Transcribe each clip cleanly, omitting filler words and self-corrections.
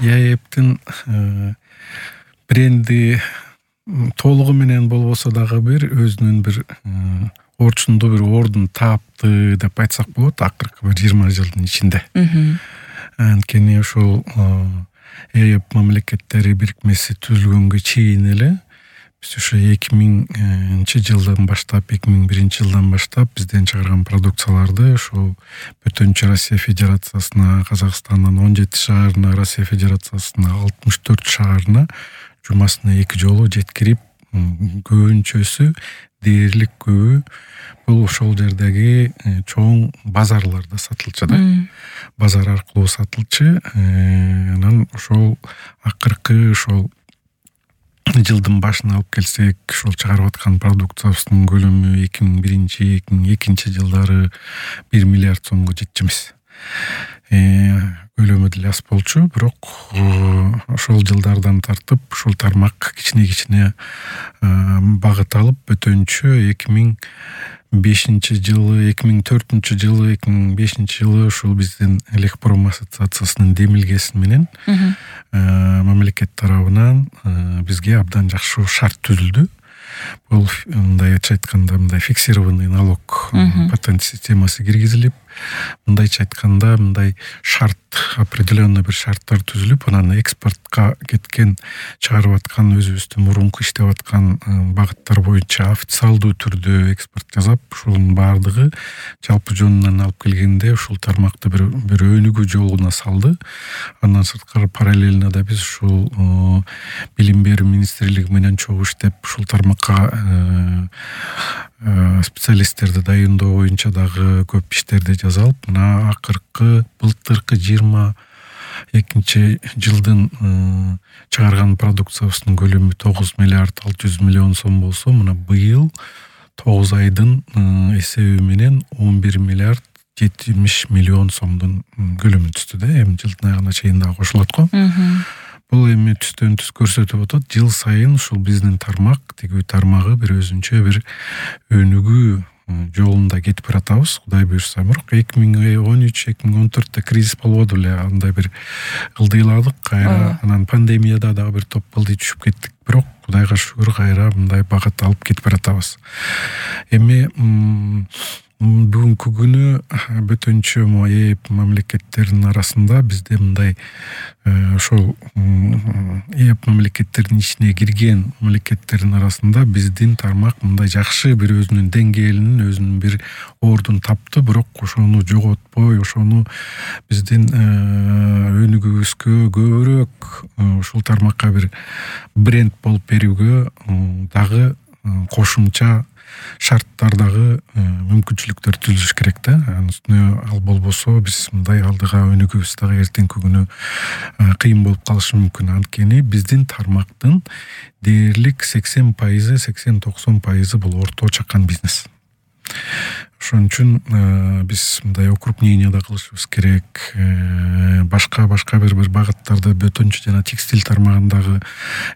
ЕАЭПтин бренди толугу менен болбосо дагы бир өзүнүн бир орчундуу бир ордун таапты деп айтсак болот акыркы бир 20 жылдын ичинде. Анткени ошол ЕАЭП мамлекеттери бирикмеси түзүлгөнгө чейин эле биз ошо 2000-жылдан баштап 2001-жылдан баштап бизден чыгарган продукцияларды ошол бөтөнчө Россия Федерациясына, Казакстандын 17 шаарына, Россия Федерациясына 64 шаарына жумасына 2 жолу жеткирип, көбүнчөсү дээрлик көбү бул ошол жердеги чоң базарларда сатылчу да. Базар аркылуу сатылчу. Анан ошол акыркы ошол жылдын башына алып келсек, ошол чыгарып аткан продукциябыздын көлөмү 2001-2002 жылдары 1 миллиард сомго жетчү эмес. Көлөмү деле аз болчу, бирок ошол жылдардан тартып ушул тармак кичине багыт алып бөтөнчө 2005 жылы, 2004 жылы, 2005 жылы ушул биздин Элекпром ассоциациясынын демилгеси менен мамлекет тарабынан бизге абдан жакшы шарт түзүлдү. Бул мындайча айтканда мындай фиксированный налог патент системасы киргизилип, мындайча айтканда мындай шарт, определенный бир шарттар түзүлүп, анан экспортко кеткен, чыгарып аткан өзүбүздүн мурунку иштеп аткан багыттар боюнча официалдуу түрдө экспорт жасап, ушунун баардыгы жалпы жонунан алып келгенде ушул тармакты бир өнүгүү жолуна салды. Андан сырткары параллельно да биз ушул билим берүү министрлиги менен чогуу иштеп, ушул тармакка специалисттерди дайындоо боюнча дагы көп иштерди жасалып, мына акыркы былтыркы 22 жылдын чыгарган продукциябыздын көлөмү 9 миллиард 600 миллион сом болсо, мына быйыл 9 айдын эсеби менен 11 миллиард 70 миллион сомдун көлөмү түздү да. Эми жылдын айына чейин дагы кошулат го. Бул эми түстөн түз көрсөтүп атат. Жыл сайын ушул биздин тармак, тигүү тармагы бир өзүнчө бир өнүгүү жолунда кетип баратабыз. Кудай буйрса, бирок 2013-2014 кризис болбоду эле, андай бир ылдыйладык кайра. Анан пандемияда дагы бир топ ылдый түшүп кеттик. Бирок Кудайга шүгүр кайра мындай багыт алып кетип баратабыз. Эми бүгүнкү күнү бөтөнчө ЕАЭП мамлекеттеринин арасында бизде мындай ошол ЕАЭП мамлекеттеринин ичине кирген мамлекеттердин арасында биздин тармак мындай жакшы бир өзүнүн деңгээлинин, өзүнүн бир ордун тапты, бирок ошону жоготпой, ошону биздин өнүгүүбүзгө көбүрөөк ушул тармакка бир бренд болуп берүүгө дагы кошумча шарттардагы мүмкүнчүлүктөр түзүлүш керек да. Ал болбосо биз мындай алдыга өнүгүүбүз дагы эртеңки күнү кыйын болуп калышы мүмкүн. Анткени биздин тармактын дээрлик 80%, 80-90% бул орто чакан бизнес. Ошон үчүн биз мындай укрупнение да кылышыбыз керек. Башка бир багыттарды бөтөнчө жана текстиль тармагындагы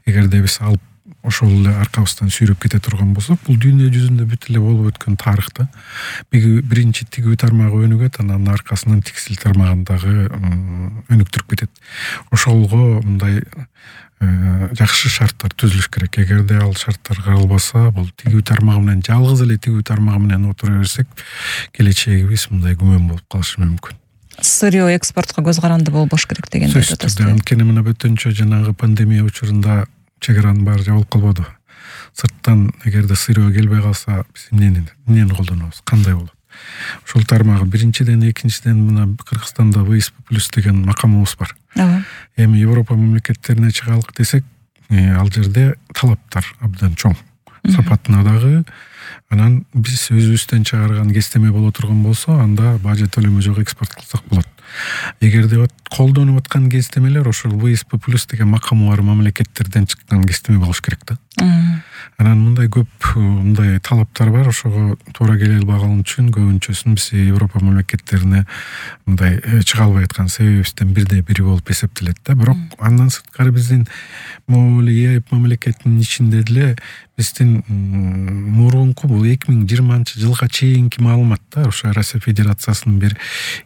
эгерде биз алып ошол эле аркабыздан сүйрөп кете турган болсок, бул дүйнө жүзүндө бүт эле болуп өткөн тарых да. Биринчи тигүү тармагы өнүгөт, анан аркасынан текстиль тармагындагы өнүктүрүп кетет. Ошолго мындай жакшы шарттар түзүлүш керек. Эгерде ал шарттар каралбаса, бул тигүү тармагы менен жалгыз эле тигүү тармагы менен отура берсек, келечегибиз мындай күмөн болуп калышы мүмкүн. Сырьё экспортко көз каранды болбош керек дегенди айтып атасыз. Анткени мына бөтөнчө жанагы пандемия учурунда чегаранын баары жабылып калбады. Сырттан эгерде сырьё келбей калса, биз эмнени колдонобуз, кандай болот? Ошол тармагы биринчиден, экинчиден мына Кыргызстанда ВСП+ деген макамыбыз бар. Эми Европа мамлекеттерине чыгалык десек, ал жерде талаптар абдан чоң. Сапатына дагы. Анан биз өзүбүздөн чыгарган кестеме боло турган болсо, анда бажы төлөмү жок экспорт кылсак болот. Эгерде колдонуп аткан кестемелер ошол ВСП+ деген макамы бар мамлекеттерден чыккан кестеме болуш керек да. Анан мындай көп мындай талаптар бар, ошого туура келе албаган үчүн көбүнчөсүн биз Европа мамлекеттерине мындай чыга албай аткан себебибизден бири болуп эсептелет да. Бирок андан сырткары биздин могул ЕАЭП мамлекетинин ичинде деле биздин мурунку бул 2020-жылга чейинки маалымат да, ошо Россия Федерациясынын бир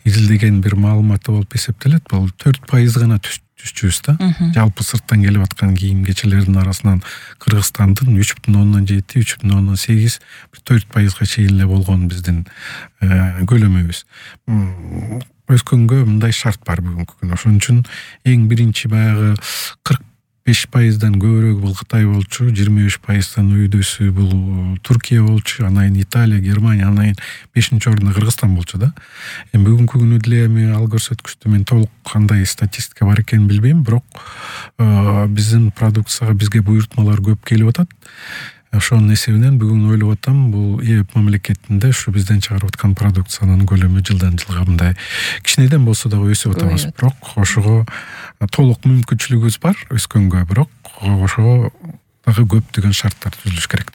изилдеген бир маалыматы болуп эсептелет. Бул 4% гана түзчүбүз да. Жалпы сырттан келип аткан кийим кечелердин арасынан Кыргызстандын 3,7, 3,8, 4% чейин эле болгон биздин көлөмүбүз. Өскөнгө мындай шарт бар бүгүнкү күнү. Ошон үчүн эң биринчи баягы 45%дан көбүрөөк бул Кытай болчу, 25%дан өйдөсү бул Туркия болчу, анан Италия, Германия, анан 5-орунда Кыргызстан болчу да. Эми бүгүнкү күнү деле эми ал көрсөткүчтү мен толук кандай статистика бар экенин билбейм, бирок биздин продукцияга бизге буйртмалар көп келип атат. Ошонун эсебинен бүгүн ойлоп атам, бул ЭЭП мамлекетинде ушу бизден чыгарып аткан продукциянын көлөмү жылдан жылга мындай кичинеден болсо дагы өсүп атабыз. Бирок ошого толук мүмкүнчүлүгүбүз бар өскөнгө, бирок ошого дагы көптөгөн шарттар түзүлүш керек.